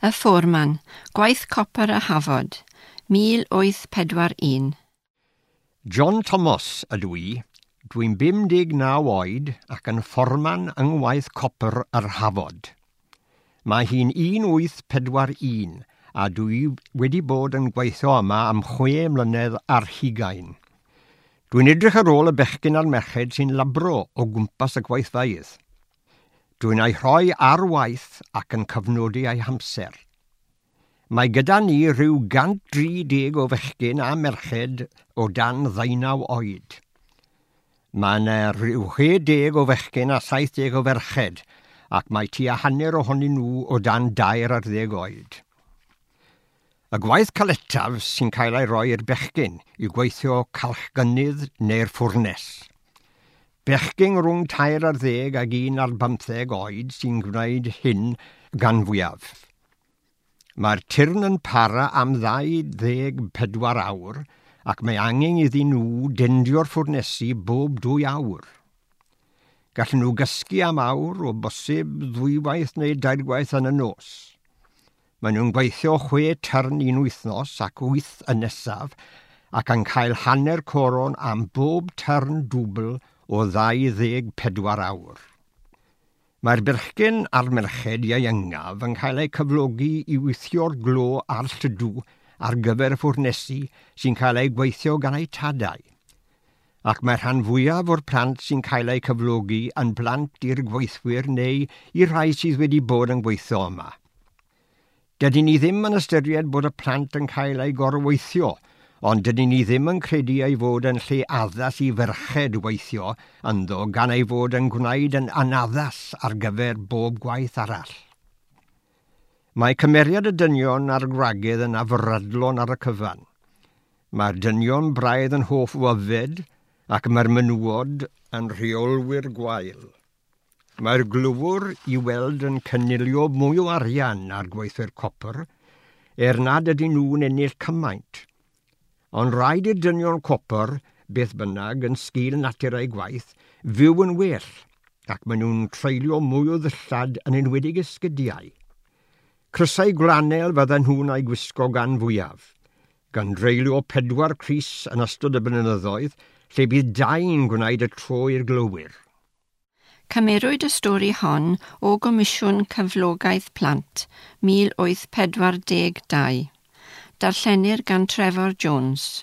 Y Fforman, Gwaith Copr a Hafod, 1841. John Thomas ydw i. Dwi'n 59 oed ac yn fforman yng ngwaith copr yr Hafod. Mae hi'n 1841 a dwi wedi bod yn gweithio yma am 26. Dwi'n edrych ar ôl y bechgyn a'r merched sy'n labro o gwmpas y gweithfeydd. Dwi'n ei rhoi ar waith ac yn cyfnodi ei hamser. Mae gyda ni rhyw 130 o fechgyn a merched o dan 19 oed. Mae yna rhyw 60 o fechgyn a 70 o ferched, ac mae tua hanner ohonyn nhw o dan 13 oed. Y gwaith caletaf sy'n cael ei roi i'r bechgyn yw gweithio calchgynnydd neu'r ffwrnes. Bechgyn rhwng 13 ag 15 oed sy'n gwneud hyn gan fwyaf. Mae'r tyrn yn para am 24 awr ac mae angen iddyn nhw dendio'r ffwrnesi bob 2 awr. Gallen nhw gysgu am awr o bosib 2 waith neu 3 gwaith yn y nos. Maen nhw'n gweithio 6 tyrn un wythnos ac 8 y nesaf ac yn cael hanner coron am bob tyrn dwbl o 24 awr. Mae'r bechgyn a'r merched ieuengaf yn cael eu cyflogi i weithio'r glo a'r lludw ar gyfer y ffwrnesi sy'n cael eu gweithio gan eu tadau. Ac mae'r rhan fwyaf o'r plant sy'n cael eu cyflogi yn blant i'r gweithwyr neu i'r rhai sydd wedi bod yn gweithio yma. Dydyn ni ddim yn ystyried bod y plant yn cael eu gorweithio, ond dydyn ni ddim yn credu ei fod yn lle addas i ferched weithio ynddo gan ei fod yn gwneud yn anaddas ar gyfer bob gwaith arall. Mae cymeriad y dynion a'r gwragedd yn afradlon ar y cyfan. Mae'r dynion braidd yn hoff o yfed ac mae'r menywod yn rheolwyr gwael. Mae'r glywr i weld yn cynilio mwy o arian ar gweithwyr copr, er nad ydyn nhw'n ennill cymaint. Ond rhaid i'r dynion copr, beth bynnag, yn sgil natur eu gwaith, fyw yn well, ac maen nhw'n treulio mwy o ddillad yn enwedig esgydiau. Crysau gwlanel fydden nhw'n ei gwisgo gan fwyaf, gan dreulio 4 crys yn ystod y blynyddoedd, lle bydd 2yn gwneud y tro i'r glowyr. Cymerwyd y stori hon o Gomisiwn Cyflogaeth Plant 1842. Darllenir gan Trefor Jones.